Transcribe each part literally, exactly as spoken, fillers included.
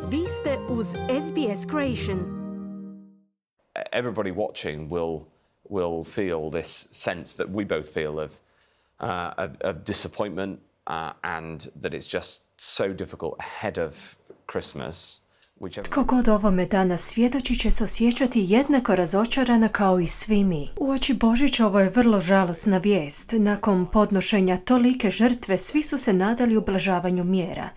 Vi ste uz S B S Creation. Everybody watching will will feel this sense that we both feel of uh, of, of disappointment uh, and that it's just so difficult ahead of Christmas. Tko god ovome danas svjedoči će se osjećati jednako razočarana kao i svi mi. Uoči Božića ovo je vrlo žalosna vijest. Nakon podnošenja tolike žrtve svi su se nadali ublažavanju mjera.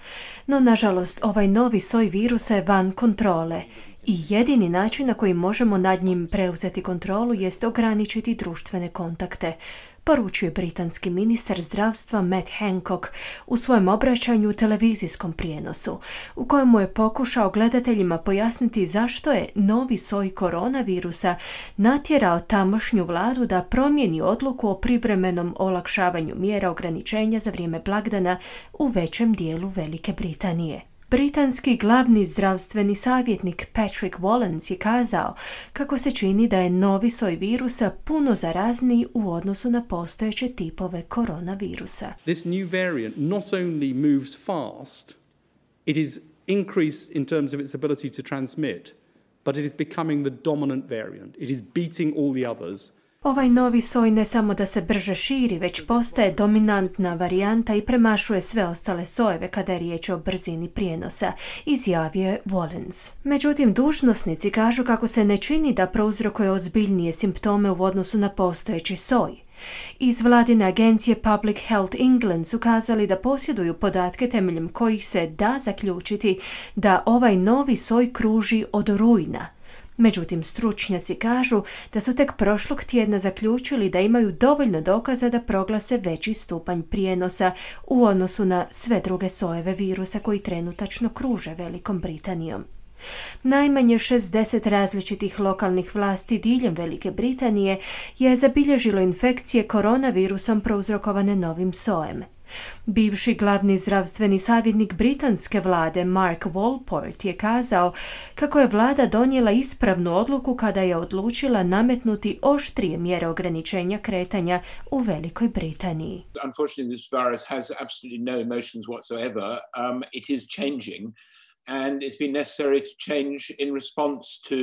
No nažalost ovaj novi soj virusa je van kontrole i jedini način na koji možemo nad njim preuzeti kontrolu jest ograničiti društvene kontakte, poručuje britanski ministar zdravstva Matt Hancock u svojem obraćanju u televizijskom prijenosu, u kojemu je pokušao gledateljima pojasniti zašto je novi soj koronavirusa natjerao tamošnju vladu da promijeni odluku o privremenom olakšavanju mjera ograničenja za vrijeme blagdana u većem dijelu Velike Britanije. Britanski glavni zdravstveni savjetnik Patrick Wallens je kazao kako se čini da je novi soj virusa puno zarazniji u odnosu na postojeće tipove koronavirusa. This new variant not only moves fast, it is increased in terms of its ability to transmit, but it is becoming the dominant variant. It is beating all the others. Ovaj novi soj ne samo da se brže širi, već postaje dominantna varijanta i premašuje sve ostale sojeve kada je riječ o brzini prijenosa, izjavio je Wallens. Međutim, dužnosnici kažu kako se ne čini da prouzrokuje ozbiljnije simptome u odnosu na postojeći soj. Iz vladine agencije Public Health England su kazali da posjeduju podatke temeljem kojih se da zaključiti da ovaj novi soj kruži od rujna. Međutim, stručnjaci kažu da su tek prošlog tjedna zaključili da imaju dovoljno dokaza da proglase veći stupanj prijenosa u odnosu na sve druge sojeve virusa koji trenutačno kruže Velikom Britanijom. Najmanje šezdeset različitih lokalnih vlasti diljem Velike Britanije je zabilježilo infekcije koronavirusom prouzrokovane novim sojem. Bivši glavni zdravstveni savjetnik britanske vlade Mark Walport je kazao kako je vlada donijela ispravnu odluku kada je odlučila nametnuti oštrije mjere ograničenja kretanja u Velikoj Britaniji. Unfortunately, this virus has absolutely no emotions whatsoever. Um, it is changing. And it's been necessary to change in response to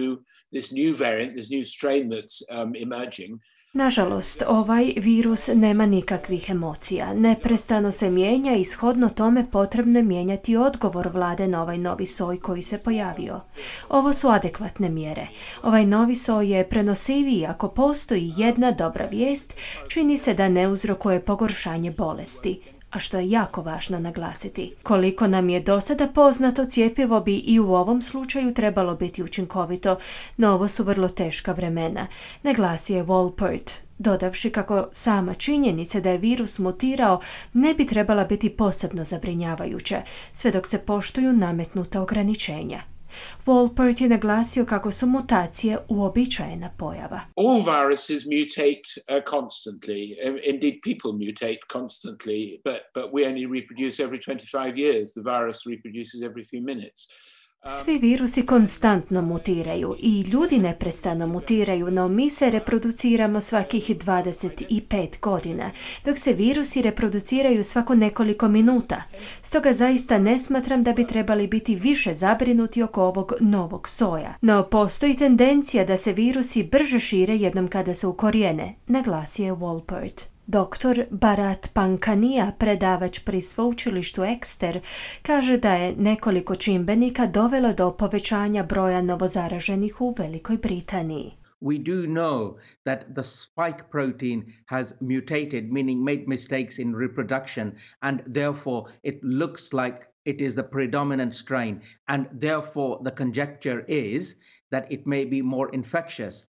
this new variant, this new strain that's um, emerging. Nažalost, ovaj virus nema nikakvih emocija. Neprestano se mijenja i shodno tome potrebno je mijenjati odgovor vlade na ovaj novi soj koji se pojavio. Ovo su adekvatne mjere. Ovaj novi soj je prenosiviji ako postoji jedna dobra vijest, čini se da ne uzrokuje pogoršanje bolesti. A što je jako važno naglasiti. Koliko nam je do sada poznato, cjepivo bi i u ovom slučaju trebalo biti učinkovito, no ovo su vrlo teška vremena, naglasio je Walport, dodavši kako sama činjenica da je virus mutirao ne bi trebala biti posebno zabrinjavajuća, sve dok se poštuju nametnuta ograničenja. Walport je naglasio kako su mutacije uobičajena pojava. All viruses mutate uh, constantly. Indeed, people mutate constantly, but, but we only reproduce every twenty-five years. The virus reproduces every few minutes. Svi virusi konstantno mutiraju i ljudi neprestano mutiraju, no mi se reproduciramo svakih dvadeset pet godina, dok se virusi reproduciraju svako nekoliko minuta. Stoga zaista ne smatram da bi trebali biti više zabrinuti oko ovog novog soja. No postoji tendencija da se virusi brže šire jednom kada se ukorijene, naglasio je Walport. Doktor Bharat Pankanija, predavač pri sveučilištu Exeter, kaže da je nekoliko čimbenika dovelo do povećanja broja novozaraženih u Velikoj Britaniji. We do know that the spike protein has mutated, meaning made mistakes in reproduction, and therefore it looks like it is the predominant strain, and therefore the conjecture is that it may be more infectious.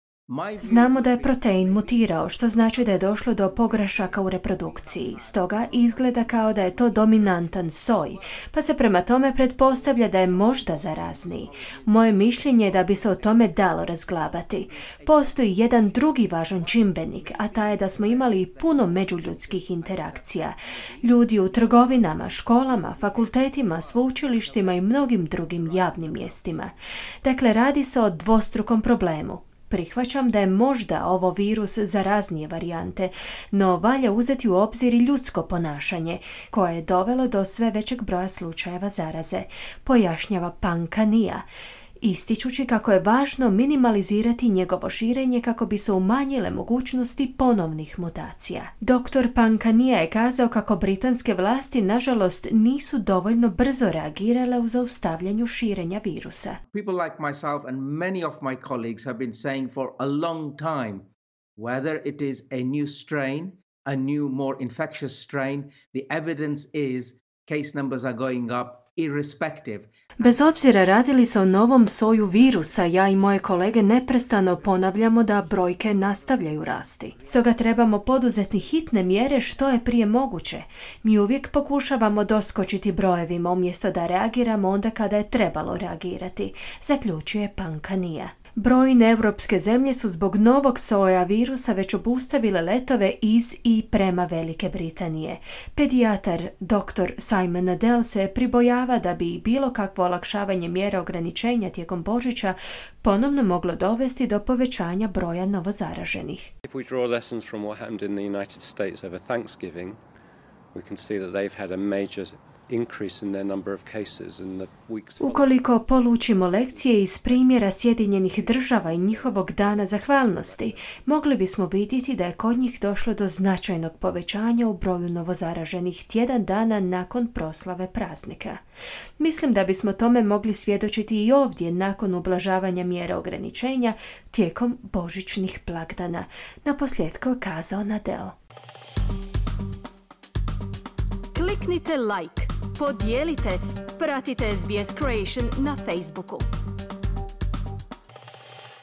Znamo da je protein mutirao, što znači da je došlo do pogrešaka u reprodukciji. Stoga izgleda kao da je to dominantan soj, pa se prema tome pretpostavlja da je možda zarazniji. Moje mišljenje je da bi se o tome dalo razglabati. Postoji jedan drugi važan čimbenik, a taj je da smo imali puno međuljudskih interakcija. Ljudi u trgovinama, školama, fakultetima, sveučilištima i mnogim drugim javnim mjestima. Dakle, radi se o dvostrukom problemu. Prihvaćam da je možda ovo virus zaraznije varijante, no valja uzeti u obzir i ljudsko ponašanje, koje je dovelo do sve većeg broja slučajeva zaraze, pojašnjava Pankania, ističući kako je važno minimalizirati njegovo širenje kako bi se umanjile mogućnosti ponovnih mutacija. doktor Pankania je kazao kako britanske vlasti, nažalost, nisu dovoljno brzo reagirale u zaustavljanju širenja virusa. People like myself and many of my colleagues have been saying for a long time, whether it is a new strain, a new, more infectious strain, the evidence is case numbers are going up irrespective. Bez obzira radili se o novom soju virusa, ja i moje kolege neprestano ponavljamo da brojke nastavljaju rasti. Stoga trebamo poduzeti hitne mjere što je prije moguće. Mi uvijek pokušavamo doskočiti brojevima umjesto da reagiramo onda kada je trebalo reagirati, zaključuje Pankania. Brojne europske zemlje su zbog novog soja virusa već obustavile letove iz i prema Velike Britanije. Pedijatar doktor Simon Adel se pribojava da bi bilo kakvo olakšavanje mjera ograničenja tijekom Božića ponovno moglo dovesti do povećanja broja novozaraženih. If we draw lessons from what happened in the United States over Thanksgiving, we can see that they've had a major increase in their number of cases in the weeks. Ukoliko polučimo lekcije iz primjera Sjedinjenih država i njihovog dana zahvalnosti, mogli bismo vidjeti da je kod njih došlo do značajnog povećanja u broju novozaraženih tjedan dana nakon proslave praznika. Mislim da bismo tome mogli svjedočiti i ovdje nakon ublažavanja mjera ograničenja tijekom božićnih blagdana, naposljetku je kazao Nadel. Kliknite like, podijelite, pratite S B S Creation na Facebooku.